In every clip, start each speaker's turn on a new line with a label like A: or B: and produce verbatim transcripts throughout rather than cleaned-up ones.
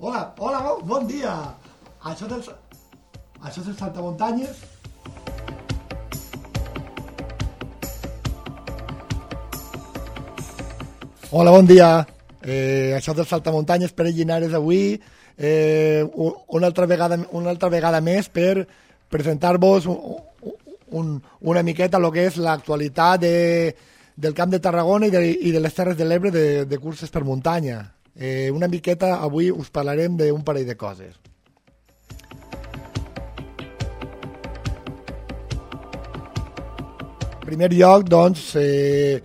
A: Hola, hola, bon dia. Això és el, això és el Saltamuntanyes. Hola, bon dia. Eh, això és el Saltamuntanyes, Pere Llinares avui. Eh, una, altra vegada, una altra vegada més per presentar-vos un, un, una miqueta el que és l'actualitat de, del Camp de Tarragona i de, i de les Terres de l'Ebre de, de curses per muntanya. Eh, una miqueta avui us parlarem d'un parell de coses. En primer lloc, doncs, eh,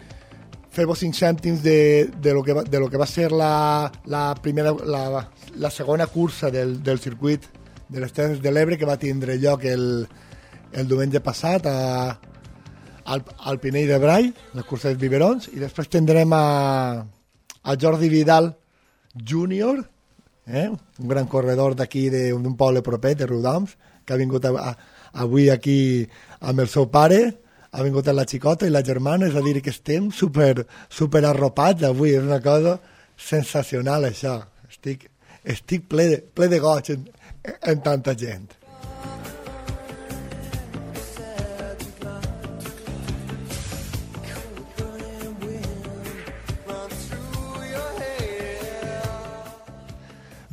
A: fer-vos cinc cèntims de, de, lo que va, de lo que va ser la, la, primera, la, la segona cursa del, del circuit de les Terres de l'Ebre que va tindre lloc el, el diumenge passat a, al, al Pinell de Brai, la cursa dels biberons, i després tindrem a, a Jordi Vidal júnior, eh? Un gran corredor d'aquí d'un poble proper, de Riudoms, que ha vingut a, a, avui aquí amb el seu pare, ha vingut la xicota i la germana, és a dir, que estem super, super arropats avui, és una cosa sensacional això, estic, estic ple, de, ple de goig en, en tanta gent.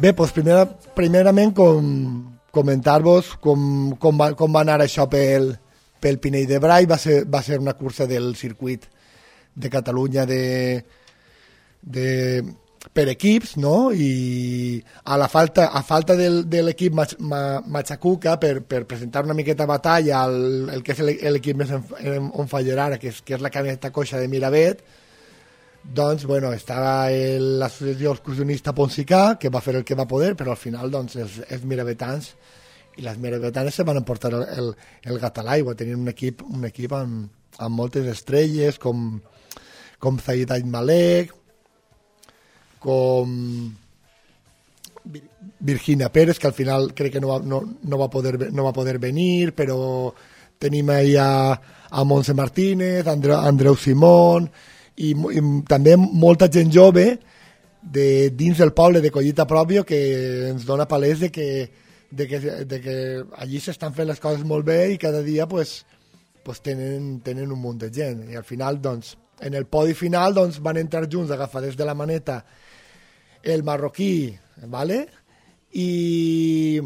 A: Bé, doncs primera, primerament com, comentar-vos com, com, va, com va anar això pel, pel Pinell de Brai. Va ser, va ser una cursa del circuit de Catalunya de, de, per equips, no? I a la falta, a falta del, de l'equip Machacuca per, per presentar una miqueta batalla al el que és l'equip més on fallar ara, que és, que és la camioneta coixa de Miravet, doncs, bueno, estava l'associació excursionista Ponsicà, que va fer el que va poder, però al final, doncs, els, els miravetans i les miravetanes se van emportar el, el, el gat a l'aigua. Tenien un equip, un equip amb, amb moltes estrelles, com, com Zaid Malek, com Virginia Pérez, que al final crec que no va, no, no va, poder, no va poder venir, però tenim ahí a, a Montse Martínez, Andreu, Andreu Simón, i, i també molta gent jove de dins del poble de Collita Pròpio que ens dona palès de que, de que, de que allí s'estan fent les coses molt bé i cada dia pues, pues tenen, tenen un munt de gent i al final doncs, en el podi final doncs, van entrar junts agafades de la maneta el marroquí, ¿vale? I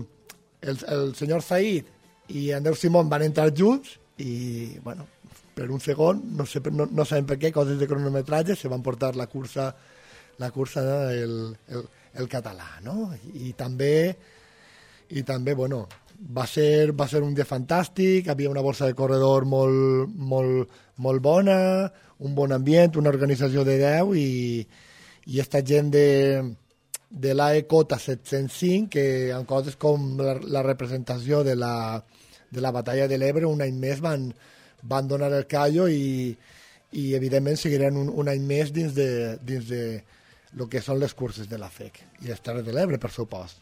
A: el, el senyor Zaid i Andreu Simón van entrar junts i bueno, per un segon, no, sé, no, no sabem per què, coses de cronometratge, se van portar la cursa, la cursa el, el, el català, no? I, i també, i també bueno, va ser, va ser un dia fantàstic, havia una borsa de corredor molt, molt, molt bona, un bon ambient, una organització de deu i, i esta gent de, de l'A E Cota set-cents cinc, que en coses com la, la representació de la, de la batalla de l'Ebre un any més van van donar el callo i, i evidentment seguiran un, un any més dins de, dins de lo que són les curses de la F E C i les Terres de l'Ebre, per supost.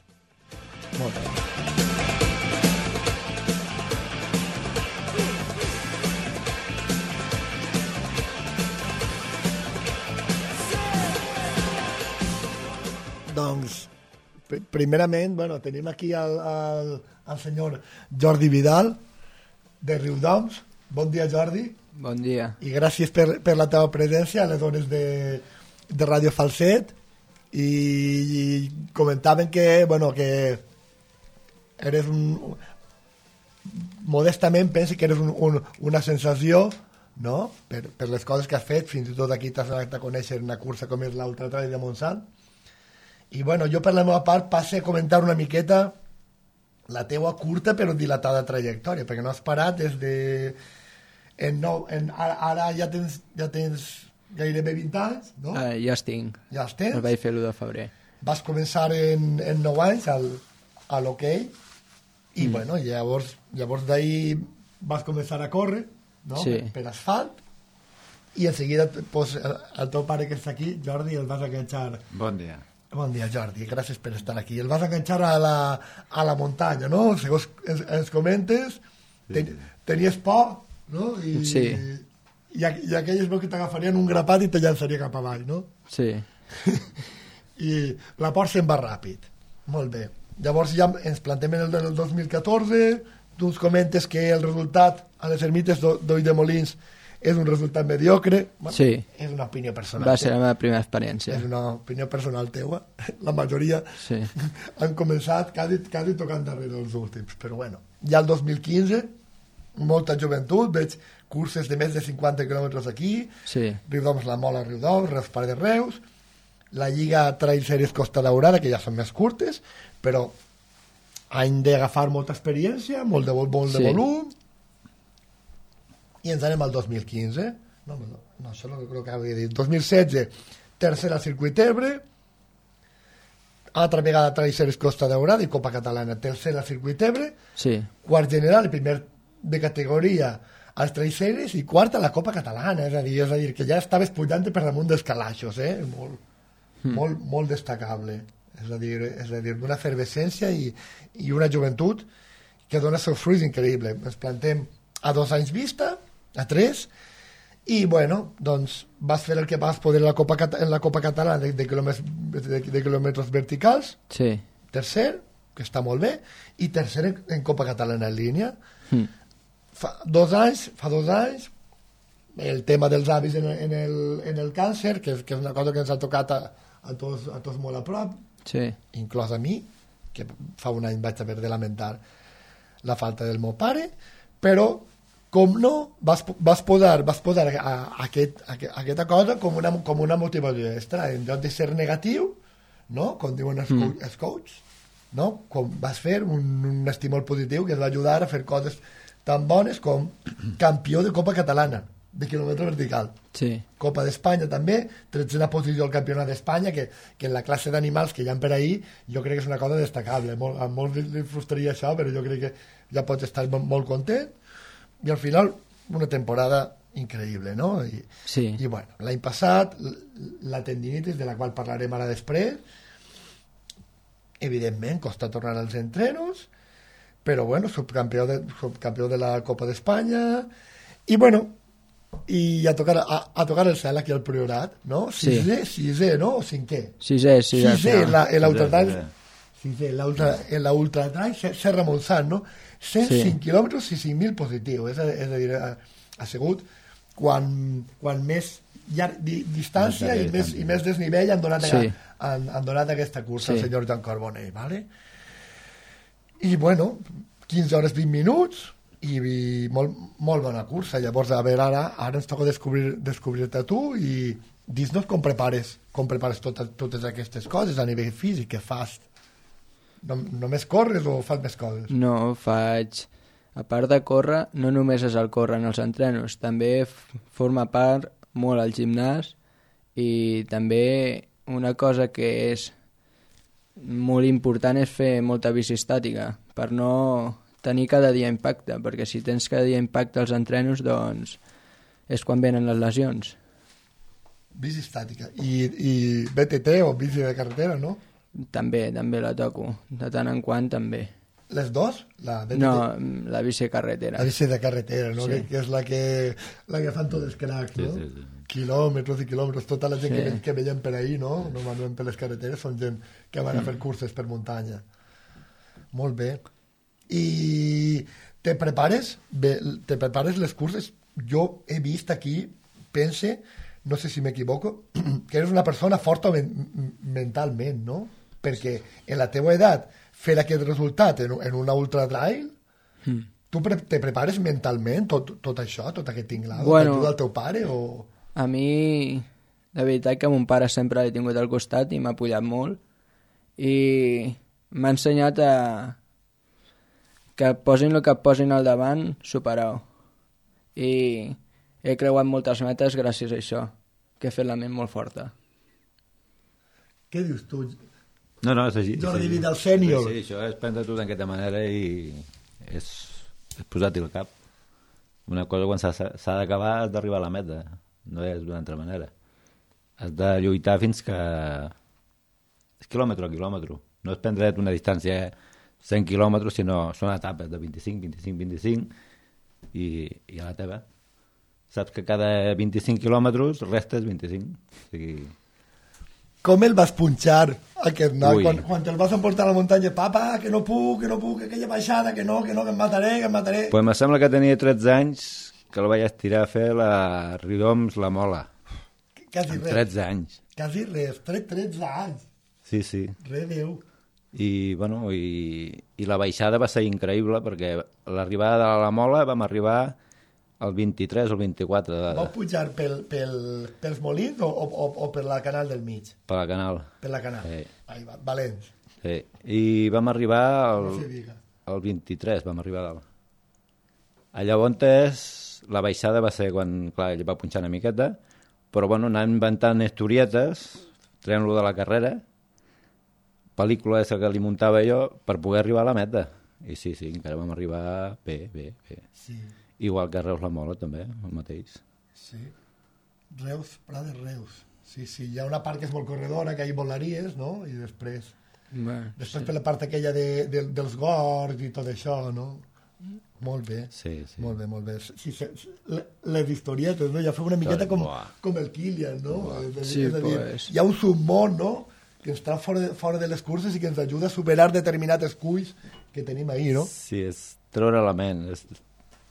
A: Molt bé. Doncs, primerament, bueno, tenim aquí el, el, el senyor Jordi Vidal, de Riudoms. Bon dia, Jordi.
B: Bon dia.
A: I gràcies per, per la teva presència a les zones de, de Ràdio Falset. I, i comentaven que, bueno, que eres un... Modestament penso que eres un, un, una sensació, no?, per, per les coses que has fet. Fins i tot aquí t'has anat a conèixer una cursa com és l'Ultra Trail de Montsant. I, bueno, jo per la meva part passe a comentar una miqueta la teua curta però dilatada trajectòria, perquè no has parat des de... En nou, en, ara, ara ja tens, ja tens gairebé vint anys, no?
B: Uh, ja els tinc.
A: Ja els tens?
B: El vaig fer l'u de febrer.
A: Vas començar en, en nou anys al, a l'hoquei i, mm. bueno, llavors, llavors d'ahir vas començar a córrer, no?
B: Sí.
A: Per, per asfalt i en seguida pues, el, el teu pare que està aquí, Jordi, el vas enganxar...
C: Bon dia.
A: Bon dia, Jordi, gràcies per estar aquí. El vas enganxar a la, a la muntanya, no? Segons ens, ens comentes, ten, tenies por, no? I,
B: sí.
A: I, i aquelles veus que t'agafarien un grapat i te llançaria cap avall, no?
B: Sí.
A: I la por se'n va ràpid. Molt bé. Llavors ja ens plantem en el del dos mil catorze, tu ens comentes que el resultat a les ermites d'Oll de Molins és un resultat mediocre. Bueno,
B: sí.
A: És una opinió personal.
B: Va ser la meva primera experiència.
A: És una opinió personal teua. La majoria
B: sí.
A: han començat quasi, quasi tocant darrere els últims. Però bueno, ja el dos mil quinze, molta joventut, veig curses de més de cinquanta quilòmetres aquí,
B: sí.
A: Riudoms La Mola, Riudoms, Reus Pare de Reus, la Lliga Trail Series Costa Daurada, que ja són més curtes, però han d'agafar molta experiència, molt de, molt de
B: sí.
A: volum, i ens anem al dos mil quinze, no, no, no això no crec que havia dit, dos mil setze, tercera Circuit Ebre, altra vegada Trail Series Costa Daurada i Copa Catalana, tercera Circuit Ebre,
B: sí.
A: quart general i primer de categoria als Trail Series i quarta la Copa Catalana, és a dir, és a dir que ja estaves pujant per damunt dels calaixos, eh? molt, mm. molt, molt destacable, és a dir, és a dir una efervescència i, i una joventut que dona seus fruits increïbles. Ens plantem a dos anys vista, a tres, i bueno, doncs vas fer el que vas poder en la Copa, en la Copa Catalana de, de, quilòmetres, de, de quilòmetres verticals,
B: sí.
A: tercer, que està molt bé, i tercer en, en Copa Catalana en línia. Mm. Fa dos anys, fa dos anys, el tema dels avis en, en, el, en el càncer, que, que és una cosa que ens ha tocat a, a, tots, a tots molt a prop,
B: sí. inclòs
A: a mi, que fa un any vaig haver de lamentar la falta del meu pare, però com no, vas, vas posar, vas posar a, a aquest, a, a aquesta cosa com una, com una motivació extra, en lloc de ser negatiu, no? Com diuen els, mm. els coaches, no? Com vas fer un, un estímul positiu que et va ajudar a fer coses tan bones com campió de Copa Catalana, de quilòmetre vertical.
B: Sí.
A: Copa d'Espanya també, tretzena posició al Campionat d'Espanya, que, que en la classe d'animals que hi ha per ahir, jo crec que és una cosa destacable. Molt, a molts li frustraria això, però jo crec que ja pots estar molt, molt content. I al final, una temporada increïble, no? I,
B: sí.
A: I bueno, l'any passat, la tendinitis, de la qual parlarem ara després, evidentment, costa tornar als entrenos, però bueno, subcampió de, subcampió de la Copa d'Espanya, i bueno, i a tocar, a, a tocar el cel aquí al Priorat, no? Sisè, sí. sisè, no? O cinquè?
B: Sisè, sisè.
A: Sisè, l'ultratrail, sisè, l'ultratrail Serra Montsant, no? cent cinc sí. quilòmetres i cinc mil positius, és a, és a dir, ha, ha sigut quan, quan més llarg, di, distància i més, i més desnivell han donat, sí. a, han, han donat aquesta cursa sí. al senyor Joan Carbonell, ¿vale? I bueno, quinze hores vint minuts i, i molt, molt bona cursa. Llavors, a veure, ara, ara ens toca descobrir, descobrir-te tu i dis-nos com prepares, com prepares totes, totes aquestes coses a nivell físic, que fas. No, només corres o fas més coses?
B: No, faig... A part de córrer, no només és el córrer en els entrenos, també f- forma part molt al gimnàs i també una cosa que és molt important és fer molta bici estàtica per no tenir cada dia impacte, perquè si tens cada dia impacte als entrenos, doncs és quan venen les lesions.
A: Bici estàtica. I, i B T T o bici de carretera, no?
B: També, també la toco. De tant en quant, també.
A: Les dos? La B T T?
B: No, la bici de carretera.
A: La bici de carretera, no?
B: Sí.
A: Que, que és la que, la que fan tots els cracs, no?
C: Sí, sí, sí.
A: Quilòmetres i quilòmetres. Tota la gent
B: Sí.
A: que, que veiem per ahir, no? Normalment per les carreteres són gent que van a fer curses per muntanya. Molt bé. I te prepares? Bé, te prepares les curses? Jo he vist aquí, pense, no sé si m'equivoco, que eres una persona forta men mentalment, no? Perquè en la teua edat fer aquest resultat en, en una ultratrail, mm. tu pre te prepares mentalment tot, tot això, tot aquest tinglado? Bueno, t'ajuda el teu pare o...?
B: A mi, de veritat que mon pare sempre l'he tingut al costat i m'ha apoyat molt i m'ha ensenyat a que posin el que posin al davant, superar-ho. I he creuat moltes metes gràcies a això, que he fet la ment molt forta.
A: Què dius tu?
C: No, no, és així.
A: Jordi Vidal sènior.
C: Sí, això és prendre tot d'aquesta manera i és, és posar-t'hi al cap. Una cosa, quan s'ha d'acabar, has d'arribar a la meta. No és d'una altra manera. Has de lluitar fins que... És quilòmetre a quilòmetre. No és prendre't una distància cent quilòmetres, sinó són etapes de vint-i-cinc, vint-i-cinc, vint-i-cinc i, i a la teva. Saps que cada vint-i-cinc quilòmetres restes vint-i-cinc. O sigui...
A: com el vas punxar, aquest noi,
C: Ui.
A: quan, quan te'l vas emportar a la muntanya, papa, que no puc, que no puc, que aquella baixada, que no, que no, que em mataré, que em mataré.
C: Pues me sembla que tenia tretze anys que el vaig estirar a fer la Ridoms La Mola.
A: Quasi
C: Amb
A: res,
C: tretze anys.
A: quasi res, tre- tretze anys,
C: Sí, sí.
A: re Déu.
C: I, bueno, i, i la baixada va ser increïble perquè l'arribada de la Mola vam arribar el vint-i-tres o el vint-i-quatre de,
A: Vau pujar pel, pel, pels molins o, o, o per la canal del mig?
C: per la canal.
A: Per la canal.
C: Sí.
A: Ahí va, valents.
C: Sí. I vam arribar el,
A: No se diga.
C: el vint-i-tres, vam arribar a dalt. A llavors la baixada va ser quan, clar, ell va punxar una miqueta, però bueno, anant inventant historietes, traient-lo de la carrera, pel·lícula esa que li muntava jo per poder arribar a la meta. I sí, sí, encara vam arribar bé, bé, bé.
A: Sí,
C: Igual que Reus La Mola, també, el mateix.
A: sí. Reus, Prat de Reus. Sí, sí, hi ha una part que és molt corredora, que hi volaries, no? I després...
B: Bueno,
A: Després per la part aquella de, de, dels gorgs i tot això, no? Molt bé.
C: Sí, sí.
A: Molt bé, molt bé. Sí, sí, le- les historietes, no? Ja feu una miqueta com,
C: Buah.
A: com el Kilian, no? És a dir,
B: Sí,
A: és a dir,
B: pues.
A: hi ha un submón, no? Que està fora de, fora de les curses i que ens ajuda a superar determinats culls que tenim ahí, no?
C: Sí, és treure la ment, és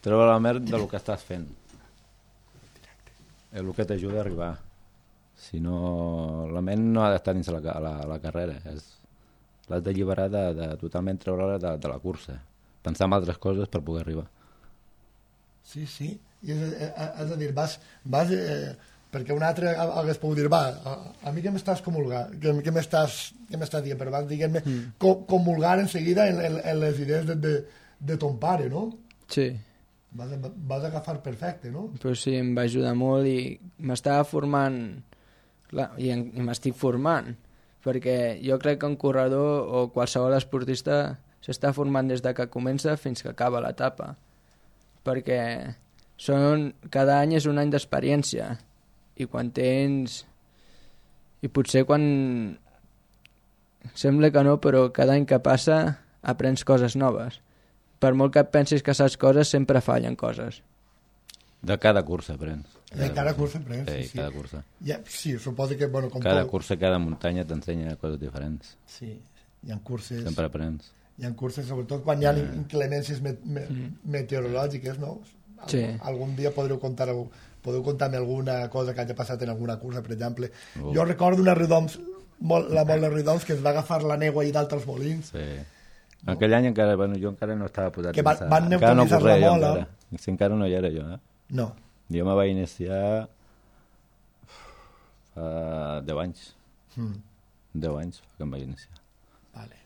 C: treure la ment del que estàs fent. És el que t'ajuda a arribar. Si no, la ment no ha d'estar dins la, ca- la, la carrera, és, l'has d'alliberar de, de totalment treure-la de, de la cursa, pensar en altres coses per poder arribar.
A: Sí, sí. I és, eh, eh, és a dir, vas... vas eh, perquè un altre ha- hagués pogut dir, va, a, a mi què m'estàs comulgant, què, què m'estàs què m'estàs dient, però vas, diguem-ne, mm. co, comulgar en seguida en, en, en les idees de, de, de ton pare, no?
B: sí.
A: Vas, a- vas agafar perfecte, no?
B: Però sí, em va ajudar molt i m'estava formant, clar, i, en, i m'estic formant, perquè jo crec que un corredor o qualsevol esportista s'està formant des de que comença fins que acaba l'etapa, perquè són, cada any és un any d'experiència, i quan tens... I potser quan... Sembla que no, però cada any que passa aprens coses noves. Per molt que et pensis que saps coses, sempre fallen coses.
C: De cada cursa aprens.
A: De cada cursa aprens,
C: Sí,
A: sí, sí.
C: cada cursa.
A: Ja, sí, suposo que, bueno, com
C: Cada
A: tot...
C: cursa, cada muntanya t'ensenya coses diferents.
A: Sí, hi ha curses...
C: Sempre aprens.
A: Hi ha curses, sobretot quan hi ha inclemències me me meteorològiques, no? Al
B: Sí.
A: Algun dia podreu contar algú, podeu contar-me alguna cosa que hagi passat en alguna cursa, per exemple.
C: Oh.
A: Jo recordo una Ridoms, molt, la molt de Ridoms, que es va agafar la neu allà dalt als molins.
C: Sí. Aquell any encara, bueno, jo encara no estava posat
A: Que
C: a
A: van-
C: pensar.
A: van
C: Encara no
A: neutralitzar
C: corria
A: la
C: jo
A: mola.
C: encara. Si encara no hi era jo, eh?
A: No.
C: Jo me vaig iniciar fa deu anys.
A: Mm.
C: deu anys que em vaig iniciar.
A: Vale.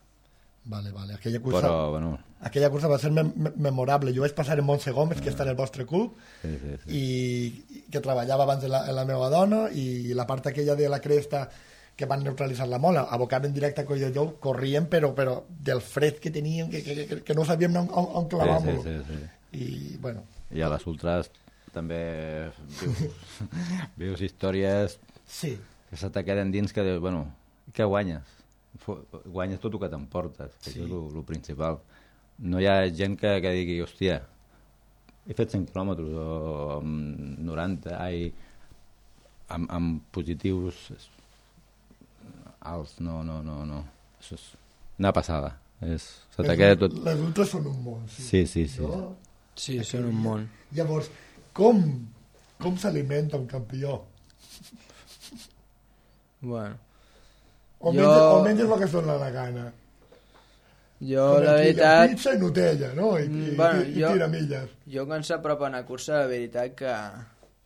A: Vale, vale. Aquella cursa,
C: Però, bueno,
A: aquella cursa va ser mem me memorable. Jo vaig passar en Montse Gómez, que està en el vostre club,
C: sí, sí, sí.
A: i que treballava abans en la, en la meva dona, i la part aquella de la cresta que van neutralitzar la mola, abocaven directe a Collelló, corrien, però, però del fred que teníem, que, que, que, que no sabíem on, on, on clavar-lo.
C: Sí, sí, sí, sí.
A: I, bueno,
C: I a les ultras també vius, vius històries
A: sí,
C: que se te queden dins que, dius, bueno, què guanyes? Fu- Guanyes tot el que t'emportes, que
A: Sí.
C: és el principal. No hi ha gent que, que digui, hòstia, he fet cent quilòmetres o amb noranta, ai, amb, amb positius alts, no, no, no, no. Això és una passada. És, se te
A: les,
C: queda tot...
A: les ultres són un món. Sí,
C: Sí, sí, sí.
A: No?
B: Sí, són un món.
A: Llavors, com, com s'alimenta un campió?
B: Bueno,
A: O,
B: Jo-
A: menges, o menges el que es dona la gana?
B: jo
A: Com
B: la
A: aquí,
B: veritat...
A: Pizza i Nutella, no? I,
B: Mm,
A: i,
B: bueno,
A: i, i
B: jo-
A: tiramilles.
B: Jo quan s'apropa a una cursa, la veritat que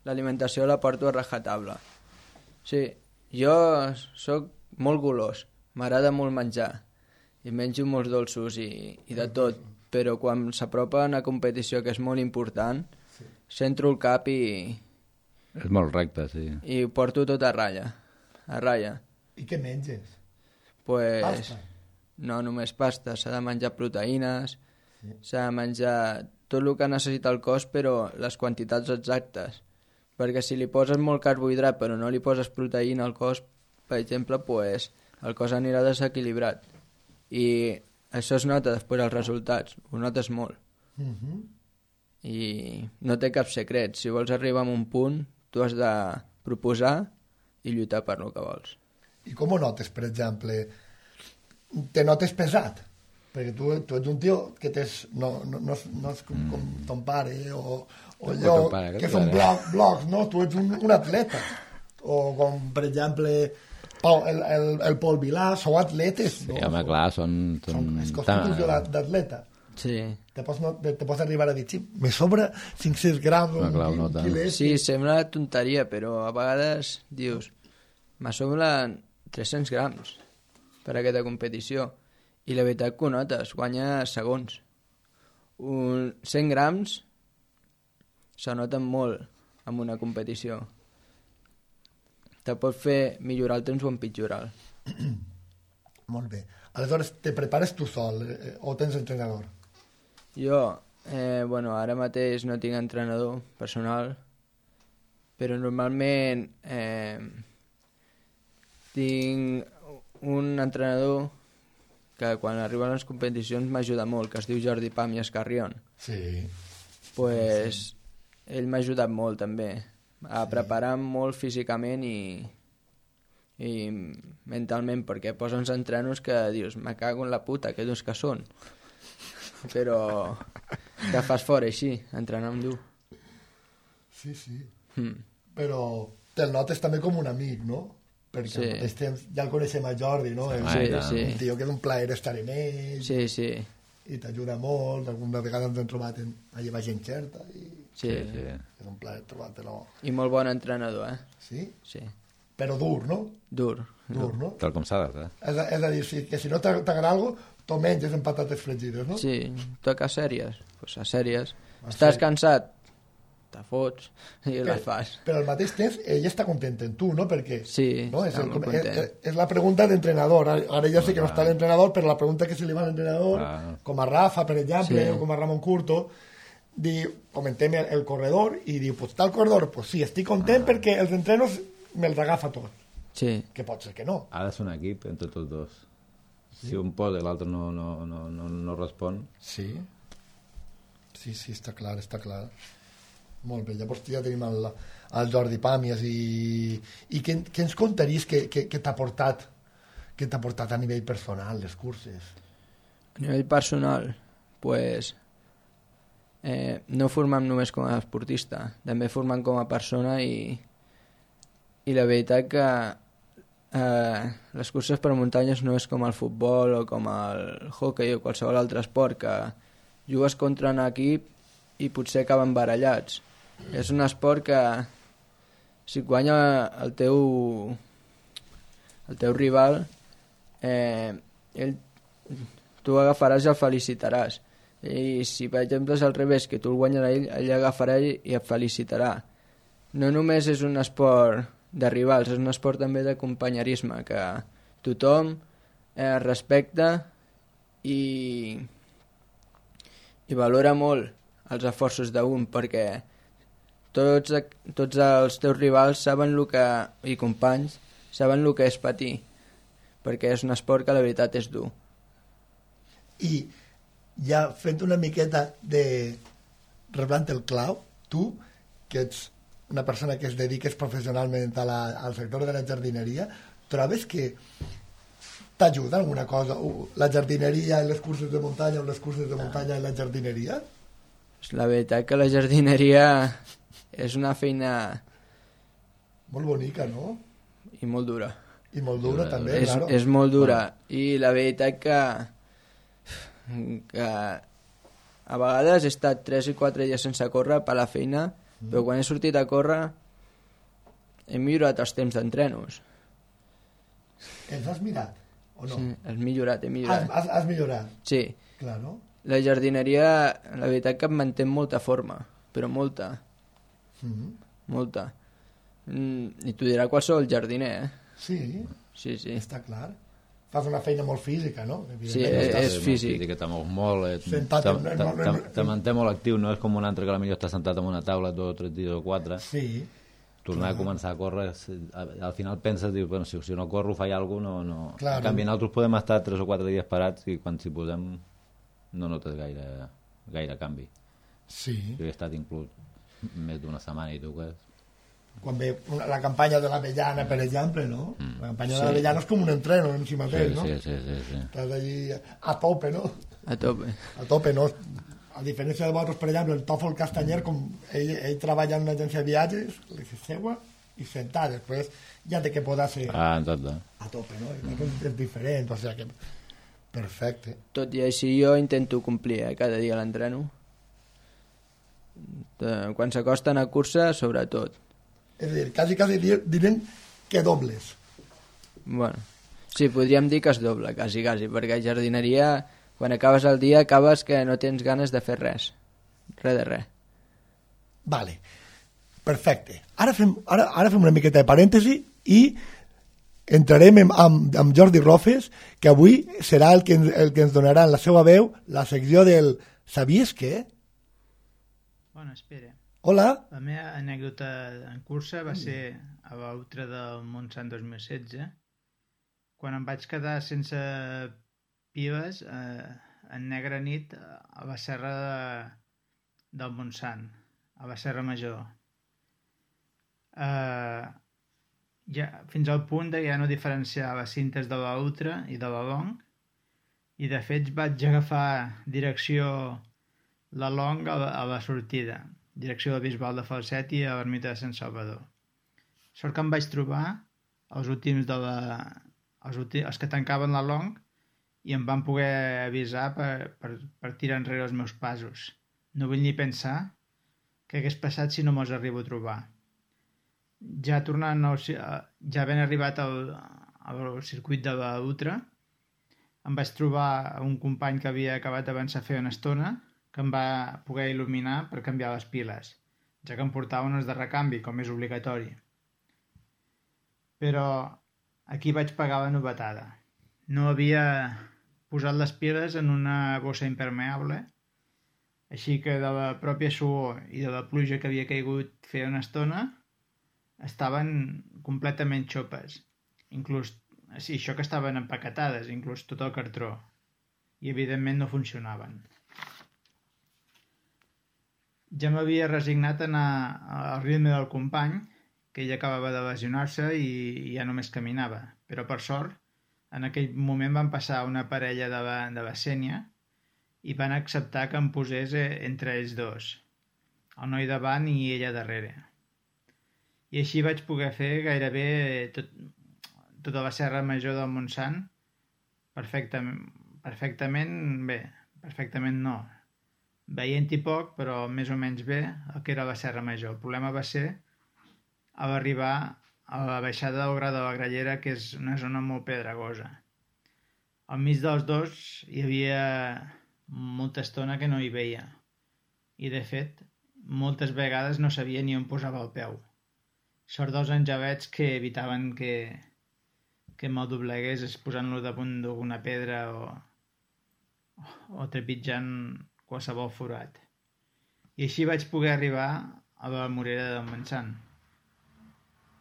B: l'alimentació la porto a rajatabla. Sí, jo sóc molt golós, m'agrada molt menjar, i menjo molts dolços i, i de tot, però quan s'apropa a una competició que és molt important, centro el cap i,
C: És molt recte, sí.
B: i ho porto tot a ratlla, a ratlla.
A: I què menges?
B: Pues,
A: Pasta?
B: no només pasta, s'ha de menjar proteïnes, s'ha de menjar tot el que necessita el cos, però les quantitats exactes. Perquè si li poses molt carbohidrat però no li poses proteïna al cos, per exemple, pues, el cos anirà desequilibrat. I això es nota després als resultats, ho notes molt.
A: Uh -huh.
B: I no té cap secret. Si vols arribar a un punt, tu has de proposar i lluitar per lo que vols.
A: I com ho notes, per exemple? Te notes pesat? Perquè tu, tu ets un tio que tens, no, no, no, és, no és com, com ton pare o, o allò,
C: pare,
A: que són blocs, blocs, no? Tu ets un, un atleta. O com, per exemple, Pau, el, el, el Pol Vilà, sou atletes.
C: Sí,
A: no?
C: home, clar, són... són...
A: són és constitució d'atleta.
B: Sí.
A: Te pots, no, te pots arribar a dir, sí, me sobra cinc-cents grams o
C: Ah, clar,
A: un
C: no tant.
A: quilet.
B: Sí, sembla tonteria, però a vegades dius, me sobren tres-cents grams per a aquesta competició. I la veritat que ho notes, guanya segons. Un cent grams se noten molt en una competició. Te pot fer millorar el temps o empitjorar-lo.
A: Molt bé. Aleshores, te prepares tu sol eh, o tens entrenador?
B: Jo, eh, bueno, ara mateix no tinc entrenador personal, però normalment eh, tinc un entrenador que quan arriben les competicions m'ajuda molt, que es diu Jordi Pàmies Carrion.
A: Sí.
B: Pues, sí. Ell m'ha ajudat molt també a sí. preparar molt físicament i, i mentalment, perquè posa uns entrenos que dius, me cago en la puta, que durs que són. Però que fas fora així, entrenant dur.
A: Sí, sí.
B: Mm.
A: Però te'l notes també com un amic, no? Perquè
B: Sí.
A: al mateix temps ja el coneixem a Jordi, no? És
B: Sí,
C: Ai,
B: sí.
A: un tio que és un plaer estar en ell
B: Sí, sí.
A: i t'ajuda molt. Alguna vegada ens hem trobat en, allà baix en Xerta i
B: Sí,
C: Sí, sí.
A: és un plaer trobar-te-lo.
B: I molt bon entrenador, eh?
A: Sí?
B: Sí.
A: Però dur, no?
B: Dur.
A: Dur, no?
C: Tal com s'ha de fer.
A: És a, és a dir, si, que si no t'ag- t'agrada alguna cosa, t'ho menges en patates fregides, no?
B: Sí, toca sèries. Pues a sèries.
A: A
B: Estàs
A: sèries.
B: cansat, te fots i
A: Però,
B: les fas.
A: però al mateix temps ell està content en tu, no? Perquè
B: Sí,
A: no? és,
B: està
A: el,
B: molt
A: és,
B: content.
A: és la pregunta d'entrenador. Ara, ara ja sé que no està l'entrenador, però la pregunta que se li va a l'entrenador,
C: Ah.
A: com a Rafa, per exemple,
B: Sí.
A: o com a Ramon Curto, diu, comentem el, el corredor i diu, pues està el corredor, pues sí, estic content ah. perquè els entrenos me'ls agafa tots.
B: Sí,
A: Que pot ser que no.
C: Ha de ser un equip entre tots dos. Si un pot i l'altre no, no, no, no, no respon...
A: Sí. Sí, sí, està clar, està clar. Molt bé, llavors ja tenim el, el Jordi Pàmies i, i què, què ens contaries que, que, que t'ha portat que t'ha portat a nivell personal les curses?
B: a nivell personal, pues, eh, no formem només com a esportista, també formem com a persona i, i la veritat que eh, les curses per muntanyes no és com el futbol o com el hockey o qualsevol altre esport que jugues contra un equip i potser acaben barallats. És un esport que si guanya el teu el teu rival eh, ell, tu agafaràs i el felicitaràs, i si per exemple és al revés, que tu el guanyes a ell, ell agafarà i et felicitarà. No només és un esport de rivals, és un esport també de companyerisme, que tothom eh, respecta i i valora molt els esforços d'un, perquè tots, tots els teus rivals saben el que, i companys saben el que és patir, perquè és un esport que la veritat és dur.
A: I ja fent una miqueta de reblant el clau, tu, que ets una persona que es dediques professionalment a la, al sector de la jardineria, trobes que t'ajuda alguna cosa? La jardineria en les curses de muntanya o les curses de muntanya en la jardineria?
B: La veritat que la jardineria és una feina
A: Molt bonica, no?
B: i molt dura.
A: I molt dura, també,
B: És,
A: claro.
B: és molt dura. I la veritat que, que a vegades he estat tres i quatre dies sense córrer per la feina, mm. però quan he sortit a córrer he millorat els temps d'entrenos.
A: Els has mirat, o no?
B: Sí, has millorat, he
A: Has,
B: millorat.
A: has, has millorat,
B: Sí,
A: claro.
B: la jardineria, la veritat que em manté en molta forma, però molta,
A: Mm.
B: molta. Mm, I t'ho dirà qualsevol jardiner, eh?
A: Sí,
B: Sí, sí.
A: està clar. Fas una feina molt física, no?
B: Sí,
A: Evidentment, no
B: és-
A: estàs-
B: és físic.
C: Que te mous molt, eh,
A: Sentat
C: te,
A: en-
C: te,
A: en- en-
C: te, te manté molt actiu, no és com un altre que potser està sentat en una taula dos o tres dies o quatre.
A: Sí,
C: Tornar a començar a córrer, si- al al final penses, dius, bueno, si, si no corro faig alguna cosa, no, no.
A: Clar.
C: En canvi, nosaltres podem estar tres o quatre dies parats i quan s'hi posem no notes gaire, gaire canvi.
A: sí.
C: Jo he estat inclús més d'una setmana i tu que
A: quan ve una, la campanya de l'Avellana, per exemple, no? Mm. La campanya
B: Sí.
A: de l'Avellana és com un entreno en si mateix,
C: Sí,
A: no?
C: sí, sí, sí, sí.
A: Estàs allí a tope, no?
B: A tope.
A: A tope, no? A diferència de vosaltres, per exemple, el Tòfol Castanyer, com ell, ell treballa en una agència de viatges, li se seua i sentar, després ja té que poder ser
C: Ah, tot, eh?
A: a tope, no? I és, és diferent, o sigui que... Perfecte.
B: Tot i així jo intento complir, eh, cada dia l'entreno. De- Quan s'acosten a cursa, sobretot.
A: És a dir, quasi, quasi dir- direm que dobles.
B: Bueno, sí, podríem dir que es doble, quasi, quasi, perquè a jardineria, quan acabes el dia, acabes que no tens ganes de fer res. Res de res.
A: Vale, perfecte. Ara fem, ara, ara fem una miqueta de parèntesi i entrarem amb, amb, amb Jordi Rofes, que avui serà el que, ens- el que ens donarà en la seva veu la secció del Sabies què?
D: Bueno, espera.
A: Hola.
D: La meva anècdota en cursa va ser a l'Outre del Montsant dos mil setze, quan em vaig quedar sense piles eh, en negra nit a la serra de, del Montsant, a la Serra Major. Eh, ja, fins al punt de ja no diferenciar les cintes de l'Outre i de la Long, i de fet vaig agafar direcció la Long a la, a la sortida, direcció de Bisbal de Falset i a l'ermita de Sant Salvador. Sort que em vaig trobar els últims de la... els, últims, els que tancaven la Long i em van poder avisar per, per, per tirar enrere els meus passos. No vull ni pensar què hagués passat si no me'ls arribo a trobar. Ja tornant al, ja ben arribat al, al circuit de la Ultra, em vaig trobar un company que havia acabat d'avançar a fer una estona que em va poder il·luminar per canviar les piles, ja que em portava unes de recanvi, com és obligatori. Però aquí vaig pagar la novetada. No havia posat les piles en una bossa impermeable, així que de la pròpia suor i de la pluja que havia caigut fer una estona, estaven completament xopes. Inclús, sí, això que estaven empaquetades, inclús tot el cartró. I evidentment no funcionaven. Ja m'havia resignat a anar al ritme del company, que ell acabava de lesionar-se i, i ja només caminava. Però per sort, en aquell moment van passar una parella de la, de la Sénia i van acceptar que em posés entre ells dos, el noi davant i ella darrere. I així vaig poder fer gairebé tot, tota la Serra Major del Montsant perfectament, perfectament bé, perfectament no. Veient-hi poc, però més o menys bé, el que era la Serra Major. El problema va ser a l'arribar a la baixada del Gra de la Grallera, que és una zona molt pedregosa. Al mig dels dos hi havia molta estona que no hi veia. I, de fet, moltes vegades no sabia ni on posava el peu. Sort dels angelets que evitaven que, que me'l doblegués posant-lo damunt d'alguna pedra o, o trepitjant qualsevol forat. I així vaig poder arribar a la Morera del Montsant,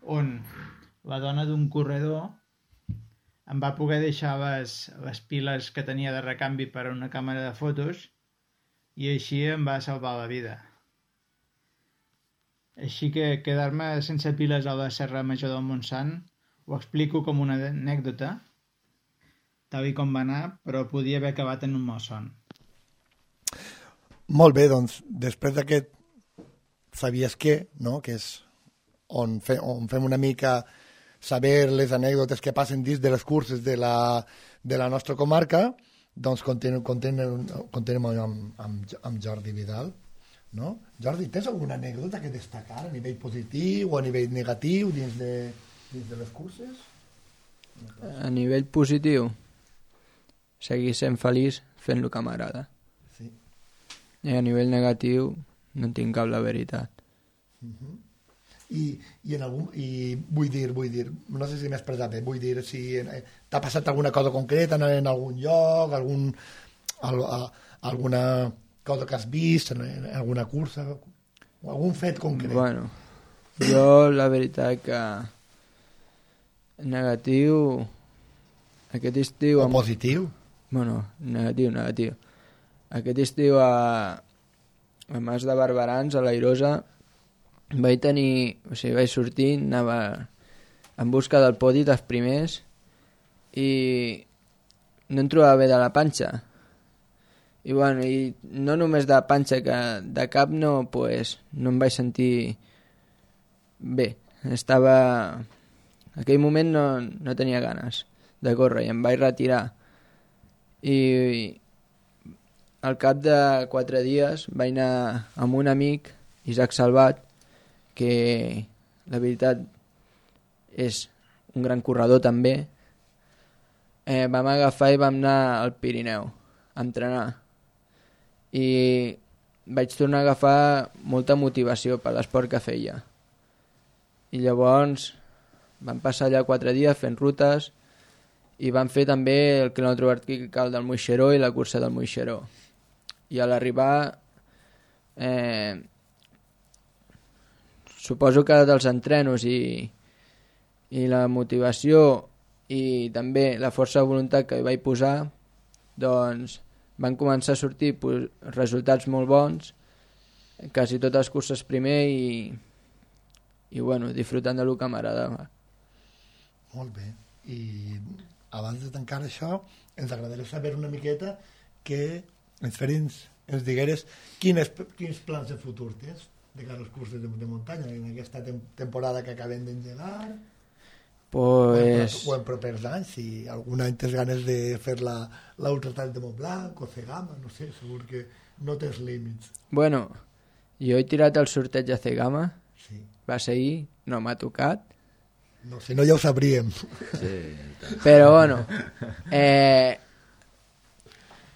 D: on la dona d'un corredor em va poder deixar les, les piles que tenia de recanvi per a una càmera de fotos i així em va salvar la vida. Així que quedar-me sense piles a la Serra Major del Montsant ho explico com una anècdota, tal i com va anar, però podia haver acabat en un malson.
A: Molt bé, doncs, després d'aquest Sabies què, no? Que és on, fe, on fem una mica saber les anècdotes que passen dins de les curses de la, de la nostra comarca, doncs continuem, continuem, continuem amb, amb, amb Jordi Vidal. No? Jordi, tens alguna anècdota que destacar a nivell positiu o a nivell negatiu dins de, dins de les curses?
B: A nivell positiu, seguir sent feliç fent el que m'agrada.
A: Sí.
B: I a nivell negatiu no en tinc cap, la veritat.
A: Uh-huh. I, i, en algun, i vull dir, vull dir, no sé si m'he expressat bé, vull dir si eh, t'ha passat alguna cosa concreta en, en algun lloc, algun, al, a, alguna cosa que has vist en, en alguna cursa, o algun fet concret.
B: Bueno, jo la veritat que negatiu aquest estiu...
A: O
B: amb...
A: positiu?
B: Bueno, negatiu, negatiu. Aquest estiu a, a Mas de Barberans, a l'Airosa, vaig tenir, o sigui, vaig sortir, anava en busca del podi dels primers i no em trobava bé de la panxa. I bueno, i no només de panxa, que de cap no, pues, no em vaig sentir bé. Estava... En aquell moment no, no tenia ganes de córrer i em vaig retirar. I, i al cap de quatre dies vaig anar amb un amic, Isaac Salvat, que la veritat és un gran corredor també. Eh, vam agafar i vam anar al Pirineu a entrenar. I vaig tornar a agafar molta motivació per l'esport que feia. I llavors vam passar allà quatre dies fent rutes i vam fer també el quilòmetre vertical del Moixeró i la cursa del Moixeró. I a l'arribar, eh, suposo que dels entrenos i, i la motivació i també la força de voluntat que hi vaig posar, doncs van començar a sortir pues, resultats molt bons, quasi totes les curses primer i, i bueno, disfrutant del que m'agradava.
A: Molt bé. I abans de tancar això, ens agradaria saber una miqueta que ens ferins, ens digueres quines, quins plans de futur tens de cara als curses de, de muntanya en aquesta tem temporada que acabem d'engegar,
B: pues...
A: o en propers anys, si algun any tens ganes de fer la l'Ultratrail de Montblanc o Cegama, no sé, segur que no tens límits.
B: Bueno, jo he tirat el sorteig a Cegama,
A: sí.
B: Va ser ahir, no m'ha tocat.
A: No, si no ja ho sabríem.
C: Sí,
B: però bueno, eh,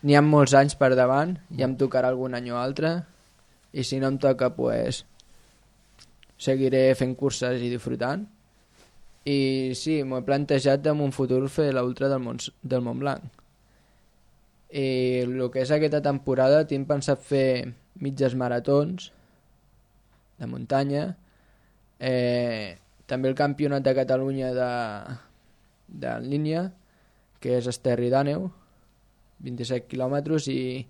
B: n'hi ha molts anys per davant, ja em tocarà algun any o altre, i si no em toca, pues, seguiré fent curses i disfrutant. I sí, m'ho he plantejat en un futur fer l'Ultra del, Mont, del Montblanc. I el que és aquesta temporada tinc pensat fer mitges maratons de muntanya, eh, també el campionat de Catalunya de, de en línia, que és Esterri d'Àneu, vint-i-set quilòmetres, i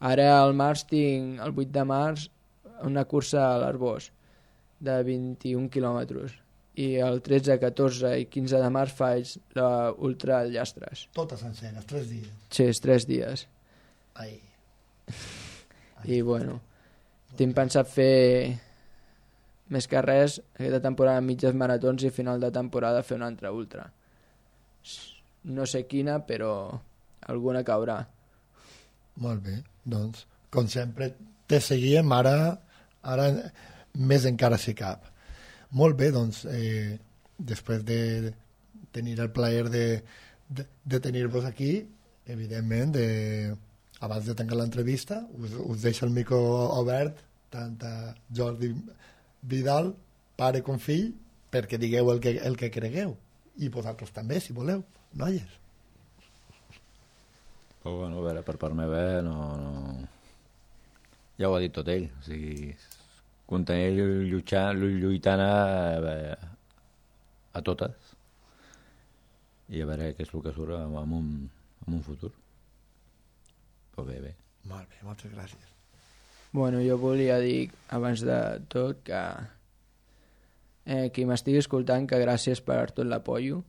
B: ara al març tinc, el vuit de març, una cursa a l'Arbós de vint-i-un quilòmetres. I el tretze, catorze i quinze de març faig l'Ultra al Llastres.
A: Totes senceres, tres dies.
B: Sí, és tres dies.
A: Ai.
B: I bueno, tinc pensat fer més que res aquesta temporada mitges maratons i final de temporada fer una altra ultra. No sé quina, però alguna caurà.
A: Molt bé, doncs, com sempre, te seguíem ara, ara més encara si cap. Molt bé, doncs, eh, després de tenir el plaer de, de, de tenir-vos aquí, evidentment, de, abans de tancar l'entrevista, us, us deixo el micro obert, tant a Jordi Vidal, pare com fill, perquè digueu el que, el que cregueu. I vosaltres també, si voleu, noies.
C: Però bueno, a veure, per part meva no, no... ja ho ha dit tot ell, o sigui, continuar lluitant, lluitant a, a totes i a veure què és el que surt en un, en un futur. Però bé, bé.
A: Molt bé, moltes gràcies.
B: Bueno, jo volia dir, abans de tot, que eh, qui m'estigui escoltant, que gràcies per tot l'apollo,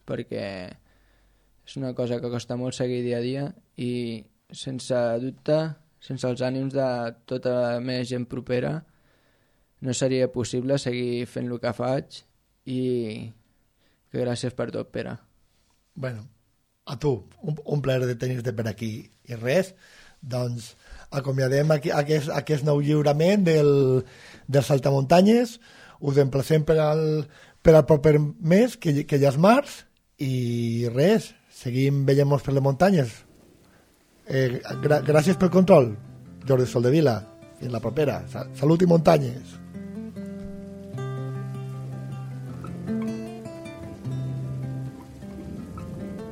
B: perquè és una cosa que costa molt seguir dia a dia i, sense dubte, sense els ànims de tota la meva gent propera, no seria possible seguir fent el que faig i que gràcies per tot, Pere.
A: Bueno, a tu, un, un plaer de tenir-te per aquí. I res, doncs, acomiadem aquí, aquest, aquest nou lliurament del, del Saltamuntanyes, us emplacem per al, per al proper mes, que, que ja és març, i res, seguim veient-nos per les muntanyes. Eh, gra gràcies pel control, Jordi Soldevila. Fins la propera. Salut i muntanyes.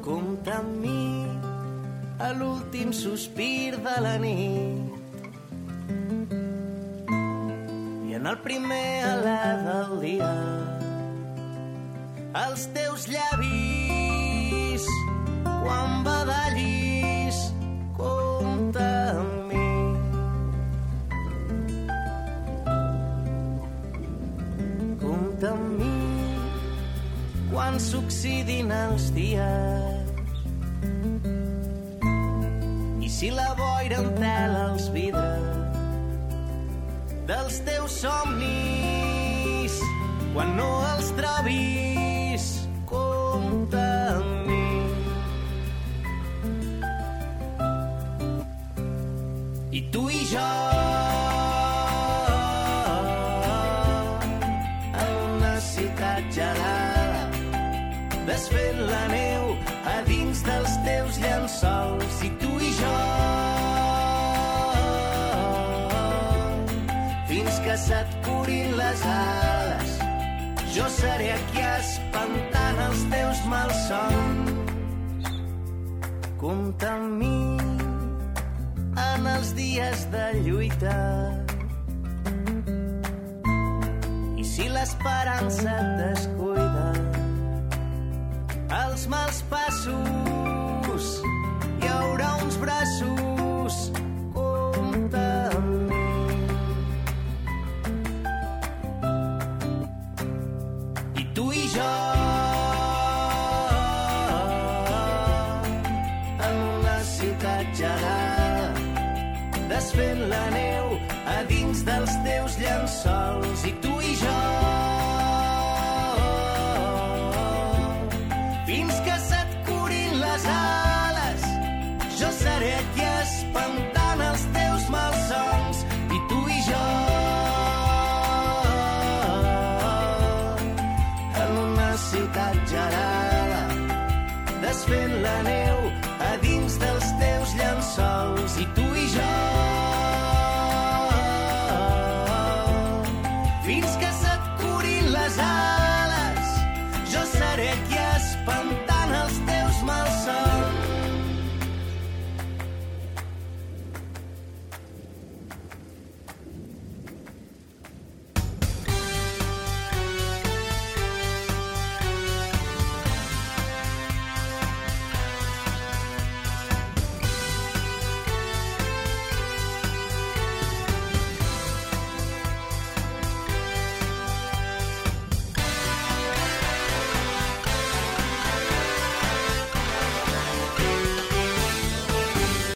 E: Compta amb mi a l'últim sospir de la nit i en el primer alè del dia els teus llavis quan badallis compta amb mi s'oxidin els dies. I si la boira entela els vidres dels teus somnis, quan no els trobis, compta amb mi. I tu i jo en una ciutat gelada, desfent la neu a dins dels teus llençols. I tu i jo fins que se't curin les ales, jo seré aquí espantant els teus malsons. Compta amb mi en els dies de lluita, i si l'esperança et descuida, els mals passos hi haurà uns braços. Compta amb mi. I tu i jo en una ciutat gelada, desfent la neu a dins dels teus llençols. I tu